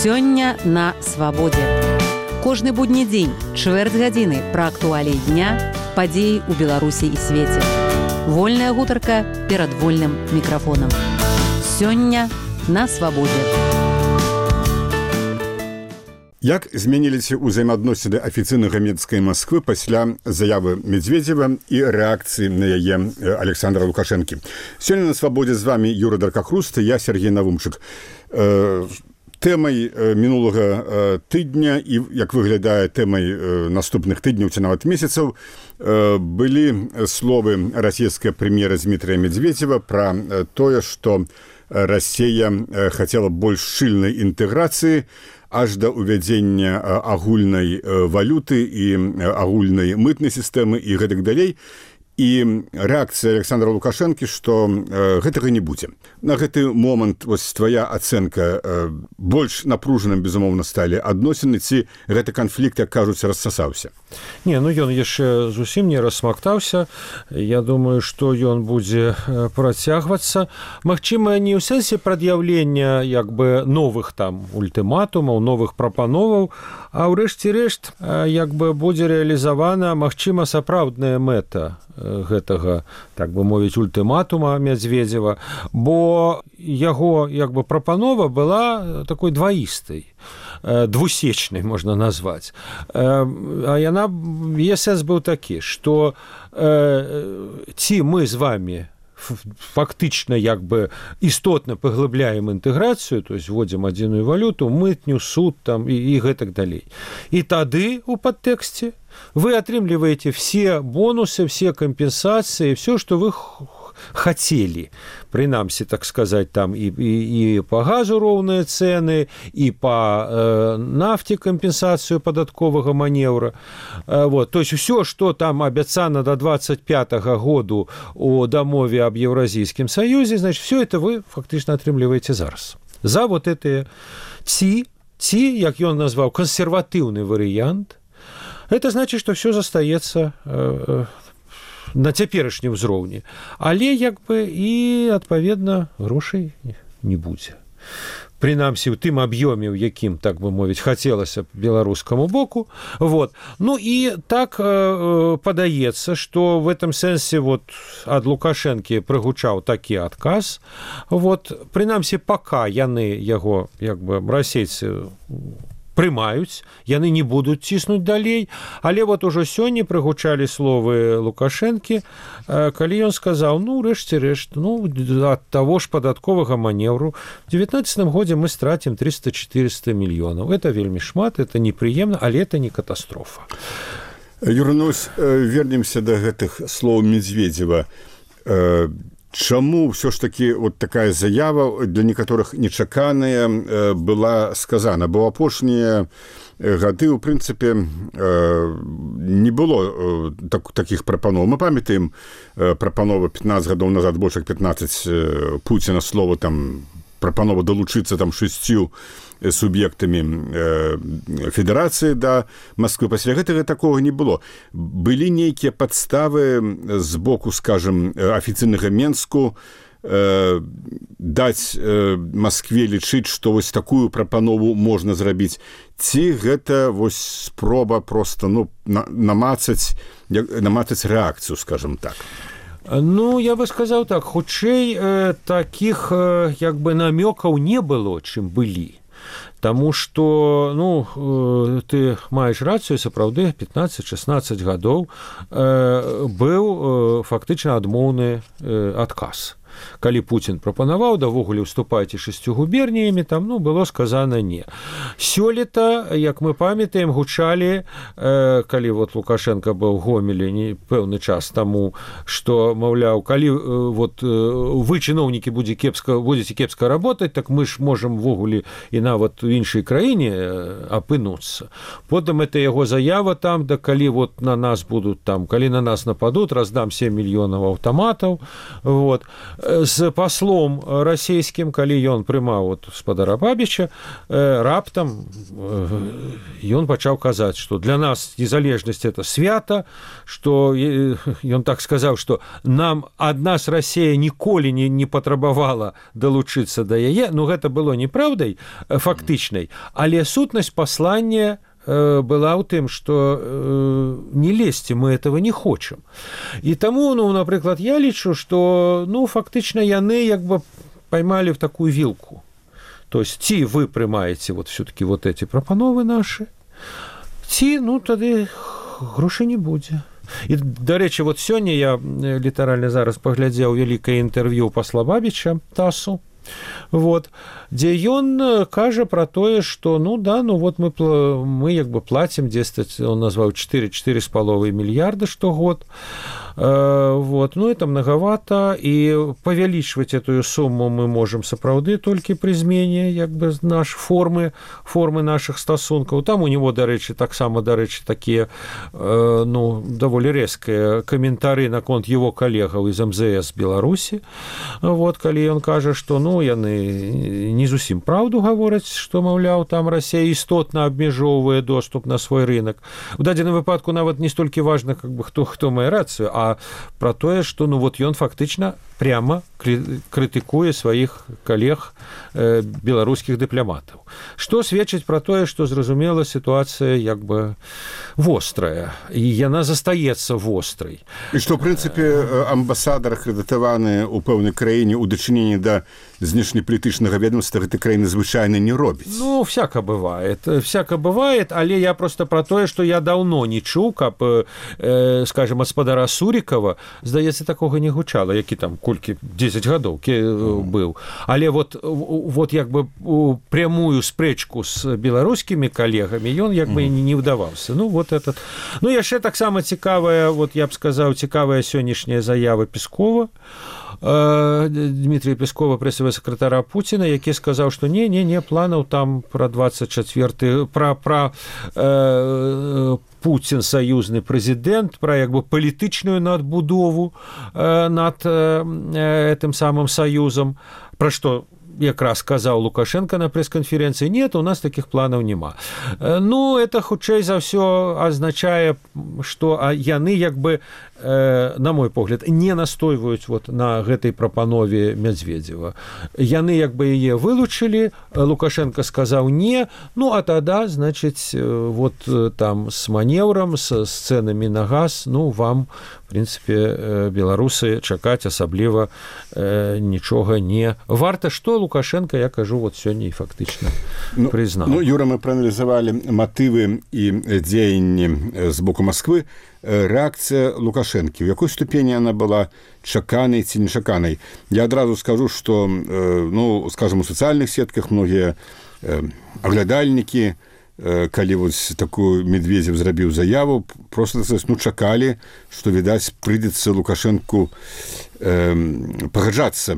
Сёння на свабодзе. Кожны будні дзень, чвэрць гадзіны пра актуаліі дня, падзеі ў Беларусі і свеце. Вольная гутарка перад вольным мікрафонам. Сёння на свабодзе. Як змяніліся ўзаемаадносіны афіцыйнага Мінскай Масквы пасля заявы Медведзева і рэакцыі на яе Александра Лукашэнкі? Сёння на свабодзе з вами Юра Даркахруст, я Сергей Навумчык. Тэмай мінулага тыдня і, як выглядае, тэмай наступных тыдняў ці нават месяцаў былі словы расійскага прэм'ера Дмітрия Медведзева пра тое, што Расія хацела больш шчыльнай інтэграцыі аж да ўвядзення агульнай валюты і агульнай мытнай сістэмы і гэтак далей. І рэакцыя Александра Лукашэнкі, што гэтага не будзе. На гэты момант вось твая ацэнка, больш напружаным, безумоўна, сталі адносіны, ці гэты канфлікт, як кажуць, рассасаўся? Не, ну ён яшчэ зусім не рассмактаўся. Я думаю, што ён будзе працягвацца. Магчыма, не ў сэнсе прад'яўлення як бы новых там ультыматумаў, новых прапановаў, а ўрэшце рэшт як бы будзе рэалізавана, магчыма, сапраўдная мэта гэтага, так бы мовіць, ультыматума Медведзева, бо яго як бы прапанова была такой дваістай, двусечнай можна назваць. А яна, яе сэнс быў такі, што ці мы з вами фактычна як бы істотна паглыбляем інтэграцыю, то есть вводзім адзіную валюту, мытню, суд там і гэтак далей. І тады у падтэксце вы атрымліваеце все бонусы, все компенсации, все, что вы хотели. Прынамсі, так сказать, там и по газу роўныя цены, и по нафте компенсацию падатковага маневра. Вот. То есть все, что там абяцана до 25-го году у дамове об Евразийском Союзе, значит, все это вы фактично атрымліваеце зараз. За вот это ці, як ён назваў, консерватыўны варыянт, это значит, что все застаецца на цяперашнім узроўні. Але як бы і, адпаведна, грошай не будзе. Прынамсі, у тым аб'ёме, у якім, так бы мовіць, хацелася беларускаму боку. Вот. Ну і так падаецца, што в этом сэнсе вот, ад Лукашэнкі прыгучаў такі адказ. Вот. Прынамсі, пака яны яго, як бы, расейцы прымаюць, яны не будуць ціснуць далей, але вот ужо сёння прыгучалі словы Лукашэнкі, калі ён сказаў, ну, рэшце рэшт, ну, ад таго ж падатковага маневру в 2019 годзе мы стратим 300-400 мільёнаў. Это вельмі шмат, это непрыемна, але это не катастрофа. Юра, ну, вернемся да гэтых слоў Медведзева. Чаму ўсё ж такі вот такая заява для некаторых нечаканая была сказана? Бо апошнія гады, у прынцыпе, не было такіх прапаноў. Мы памятаем прапанову 15 гадоў назад, больш як 15 Пуціна слова там прапанова далучыцца там 6 суб'ектамі федэрацыі да Масквы. Пасля гэтага такога не было. Былі нейкія падставы з боку, скажем, афіцыйнага Менску даць Маскве лічыць, што вось такую прапанову можна зрабіць. Ці гэта вось спроба проста, ну, намацаць рэакцыю, скажем так? Ну, я бы сказаў так, хутчэй такіх як бы намёкаў не было, чым былі. Таму што, ну, ты маеш рацыю, сапраўды, 15-16 гадоў быў фактычна адмоўны адказ. Калі Пуцін прапанаваў, давогуле ўступайце 6 губерніямі, там, ну, было сказана не. Сёлета, як мы памятаем, гучалі, калі вот Лукашенко быў в Гомелі пэўны час таму, што, маўляў, калі вот вы, чыноўнікі, будзеце кепска работаць, так мы ж можам ввогуле і нават у іншай краіне апынуцца. Потым это яго заява там, да калі вот на нас будуць там, калі на нас нападуць, раздам 7 мільёнаў аўтаматаў, вот. з паслом расійскім, калі ён прымаў от спадара Бабіча, раптам ён пачаў казаць, што для нас незалежнасць это свята, што ён так сказаў, што нам ад нас Расія ніколі не патрабавала далучыцца да яе. Ну, гэта было неправдай фактычнай, але сутнасць паслання была ў тым, што не лезьце, мы этого не хочам. І таму, ну, напрыклад, я лічу, што, ну, фактычна яны як бы поймали в такую вилку. То есть ці вы прымаеце вот все-таки вот эти прапановы наши, ці, ну, тады грошай не будзе. І, дарэчы, вот сёння я літаральна зараз паглядзеў вялікае інтэрв'ю пасла Бабіча ТАССу, вот, дзе ён кажа про тое, што ну да, ну вот мы як бы платим 10, он назваў 4,5 мільярда штогод, вот, ну это многовато, і павялічваць эту сумму мы можем сапраўды толькі пры змене як бы формы наших стасункаў. Там у него, дарэчы, таксама, дарэчы, такія ну даволі рэзкія каментары наконт его калегаў из МЗС Беларусі, вот, калі ён кажа, што ну яны не зусім праўду гавораць, што, маўляў, там Расія істотна абмяжоўвае доступ на свой рынок. У дадзеным выпадку нават не столькі важна, как бы хто мае рацыю, а про тое, што ну вот ён фактычна прямо крытыкуе сваіх калег беларускіх дыпламатаў. Што сведчыць про тое, што зразумела сітуацыя як бы вострая, і яна застаецца вострай. І што, в прынцыпе, амбасадар акрэдытаваны ў пэўнай краіне ў дачыненні да знешнепалітычнага ведомства гэтай краіны звычайна не робіць. Ну, всяко бывает, але я просто про тое, што я даўно не чуў, каб, скажем, гаспадара Сурікава, здаецца, такога не гучала, які там колькі 10 гадоў быў. Але вот як бы прямую спрэчку з беларускімі калегамі ён як бы не ўдаваўся. Ну, вот этот. Ну, яшчэ таксама цікавая, вот я б сказаў, цікавая сённяшняя заява Пескова, Дмитрия Пескова, прэсавага сакратара Пуціна, які сказаў, што не, планаў там пра 24 пра Путін саюзны прэзідэнт, пра як бы палітычную надбудову над этим самым саюзам, пра што якраз сказаў Лукашенко на прэс-канферэнцыі. Нет, у нас таких планаў няма. Ну, это хутчэй за ўсё азначае, што яны як бы, на мой погляд, не настойваюць вот на гэтай прапанове Медведева. Яны як бы яе вылучылі, Лукашенко сказаў не, ну, а тада, значыць, вот там с манеўрам, с цэнамі на газ, ну, вам, в прынцыпе, беларусы чакаць асабліва нічога не варта, што Лукашенко, я кажу, вот сёння і фактычна прызнаў. Ну, Юра, мы прааналізавалі матывы і дзеянні з боку Масквы. Рэакцыя Лукашэнкі, у якой ступені она была чаканай ці нечаканай? Я адразу скажу, што, ну, скажем, у сацыяльных сетках многія аглядальнікі, калі вось такую Медведзев зрабіў заяву, просто, ну, чакалі, што, відаць, прыйдзецца Лукашэнку пагаджацца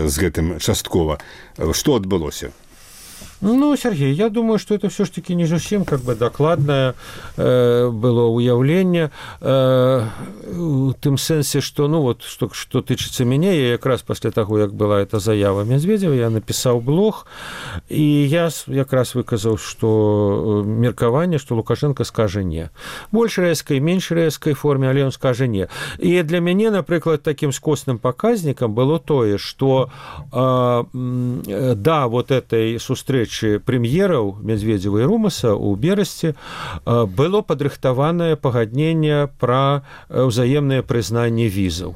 з гэтым часткова. Што адбылося? Ну, Сергей, я думаю, что это все-таки не зусім как бы докладное было уяўленне, у тым сэнсе, что, ну, вот, что тычыцца мяне, я якраз пасля таго, як была эта заява Медведева, я напісаў блог, і я якраз выказаў, что меркаванне, что Лукашенко скажа не. Больш рэзкай, менш рэзкай форме, але он скажа не. І для мяне, напрыклад, таким скосным паказнікам было тое, что да, вот этой сустрэчы прэм'ераў Медведзева і Румаса ў берасці было падрыхтаванае пагадненне пра ўзаемнае прызнанне візаў.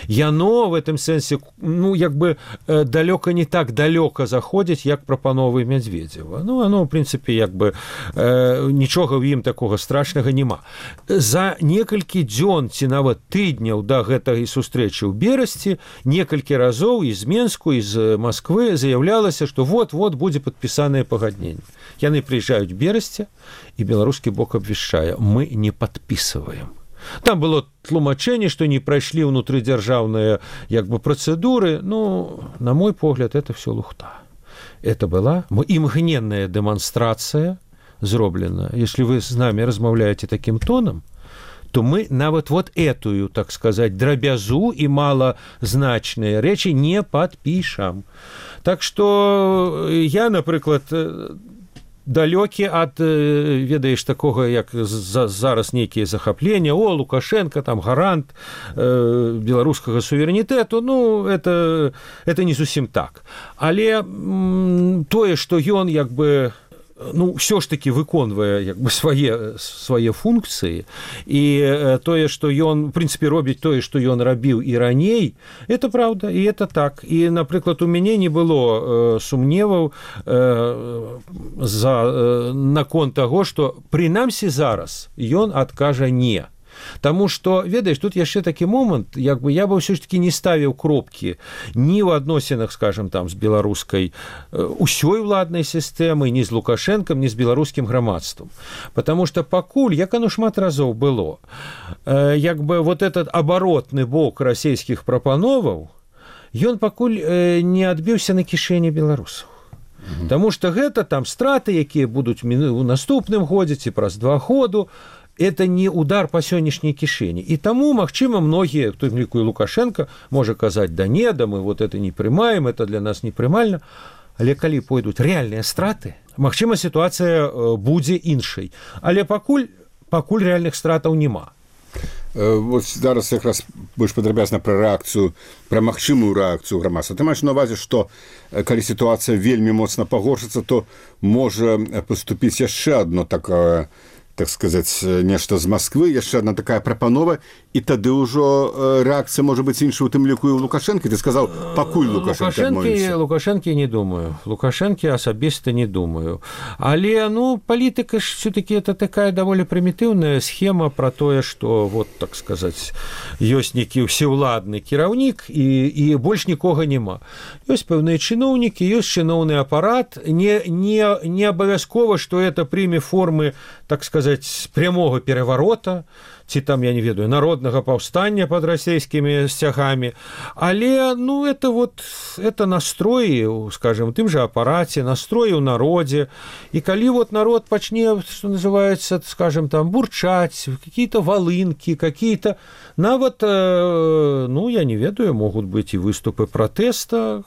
Яно в этом сэнсе, ну, як бы далёка не так далёка заходзіць, як прапановы Медведзева. Ну, оно, в прынцыпе, як бы нічога ў ім такога страшнага няма. За некалькі дзён ці нават тыдняў да гэтай сустрэчы ў берасці некалькі разоў з Менску, з Масквы заяўлялася, што вот-вот будзе падпісанае пагадненне. Яны прыязджаюць ў берасці, і беларускі бок абвяшчае: мы не падпісваем. Там было тлумачэнне, што не прайшлі ўнутрыдзяржаўныя як бы працэдуры. Ну, на мой погляд, это все лухта. Это была імгненная дэманстрацыя зроблена. Если вы с нами размаўляеце таким тоном, то мы нават вот этую, так сказать, дробязу и малозначные речи не подпишем. Так что я, например, далёкі ад, ведаеш, такога, як зараз нейкія захаплення, Лукашенко, там, гарант беларускага суверэнітэту, ну, это не зусім так. Але тое, што ён, як бы, ну, все ж таки выконвае, як бы, свае функцыі, і тое, што ён, в принципе, робіць тое, што ён рабіў і раней, это правда, і это так. І, напрыклад, у мяне не было сумневаў наконт таго, што прынамсі зараз ён адкажа не. Таму што, ведаеш, тут яшчэ такі момант, як бы я бы ўсё ж таки не ставіў кропкі ні ў адносінах, скажем, там, з беларускай усёй уладнай сістэмай, ні з Лукашэнкам, ні з беларускім грамадствам. Потому што пакуль, як оно шмат разоў было, як бы вот этот абаротны бок расійскіх прапановаў, ён пакуль не адбіўся на кішэні беларусаў. Таму што гэта там страты, якія будуць у наступным годзе ці праз 2 году, это не удар по сённяшняй кішэні. І таму, магчыма, многія, хто ліку і Лукашенко, можа казаць, да не, да мы вот это не прымаем, это для нас непрымальна. Але калі пойдуць рэальныя страты, магчыма, сітуацыя будзе іншай. Але пакуль рэальных стратаў няма. Вот зараз якраз больш падрабязна пра рэакцыю, пра магчымую рэакцыю грамадства. Ты маеш на ўвазе, што калі сітуацыя вельмі моцна пагоршыцца, то можа паступіць яшчэ адно такое, так сказаць, нешта з Масквы, яшчэ одна такая прапанова, і тады ўжо рэакцыя можа быць іншая, у тым ліку і ў Лукашэнкі. Ты сказаў, пакуль Лукашэнкі адмовіцца. Лукашэнкі не думаю. Лукашэнкі асабіста не думаю. Але, ну, палітыка ж все-таки это такая даволі прымітыўная схема про тое, што, вот, так сказаць, ёсць нейкі ўсеўладны кіраўнік і больш нікога няма. Ёсць пэўныя чыноўнікі, ёсць чыноўны апарат. Не абавязкова, што это прыме формы, так сказаць, прямого пераворота, ці там, я не ведаю, народнага паўстання пад расійскімі сцягамі. Але, ну, это вот, это настроі, скажем, тым же апараце, настроі ў народзе. І калі вот народ пачне, что называется, скажем, там, бурчаць, какие-то волынки, какие-то, нават, ну, я не ведаю, могут быть і выступы пратэста,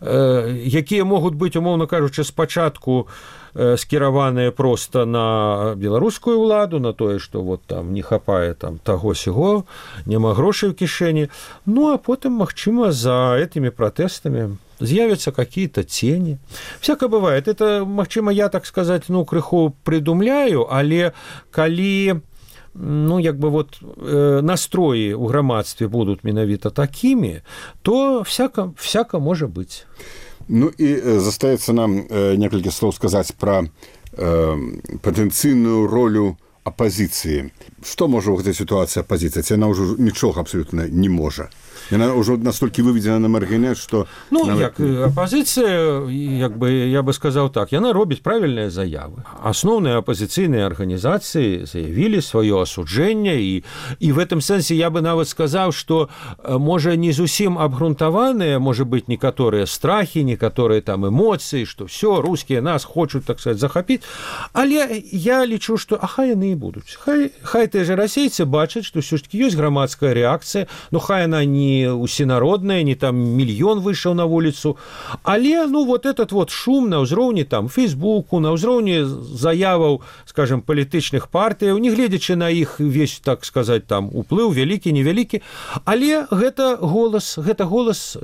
якія могуць быць, умоўна кажучы, спачатку скіраваныя просто на беларускую ўладу, на тое, што вот там не хапае там таго-сяго, няма грошай у кішэні. Ну, а потым, магчыма, за этими пратэстамі з'явятся какие-то тени. Всяко бывает. Это, магчыма, я, так сказать, ну, крыху придумляю, але калі, ну, як бы вот настроі ў грамадстве будуць менавіта такімі, то всяко можа быць. Ну і застаецца нам некалькі слоў сказаць пра патэнцыйную ролю апазіцыі. Што можа ў гэтай сітуацыі апазіцыя? Ці яна ўжо нічога абсалютна не можа? Яна ўжо настолькі выведзена на маргінет, што... Ну, нават... як апазіцыя, як бы, я бы сказаў так, яна робіць правільныя заявы. Асноўныя апазіцыйныя арганізацыі заявілі сваё асуджэнне, і в этом сэнсе я бы нават сказаў, што, можа, не зусім абгрунтаваныя, можа быць, некаторыя страхі, некаторыя там эмоцыі, што все, рускія нас хочуць, так сказаць, захапіць. Але я лічу, што хай яны і будуць. Хай тыя же расейцы бачаць, што ўсё ж такі ёсць грамадская рэакцыя, ну хай яна не усенародная, не там мільён выйшаў на вуліцу, але, ну, вот этот вот шум на ўзроўні там Фейсбуку, на ўзроўні заяваў, скажем, палітычных партыяў, не гледзячы на іх весь, так сказаць, там уплыў вялікі, невялікі, але гэта голас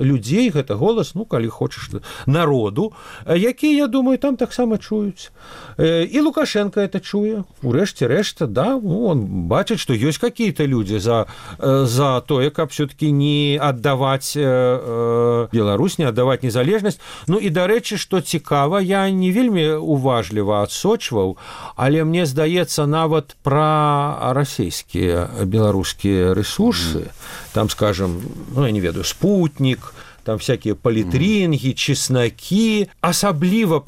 людзей, гэта голас, ну, калі хочаш, народу, які, я думаю, там таксама чуюць. І Лукашенко это чуе. Урэшце рэшта, да, ну, он бачыць, што ёсць какие-то людзі за тое, каб все-таки не аддаваць Беларусь, не аддаваць незалежнасць. Ну і, дарэчы, што цікава, я не вельмі уважліва адсочваў, але мне здаецца, нават пра расійскія беларускія рэсурсы, там, скажем, ну, я не ведаю, спутнік, там всякие палітрынгі, чеснакі, асабліва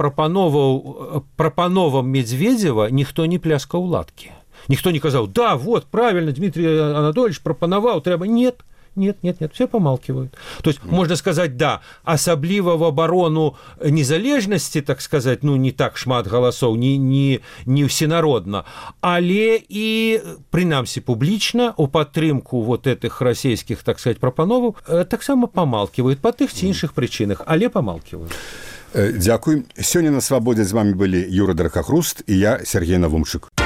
прапановам Медведзева ніхто не пляскаў ладкі. Ніхто не казаў, да, вот, правильно, Дмитрий Анатольевич прапанаваў, трэба. Нет, нет, все помалкивают. То есть, можно сказать, да, особливо в оборону незалежности, так сказать, ну, не так шмат голосов, не всенародно, але и, принамсі, публічна у падтрымку вот этих расійскіх, так сказать, прапановаў таксама помалкивают по тых ці іншых прычынах, але помалкивают. Дзякуй. Сёння на Свабодзе з вами былі Юра Дракахруст і я, Сергей Навумчык.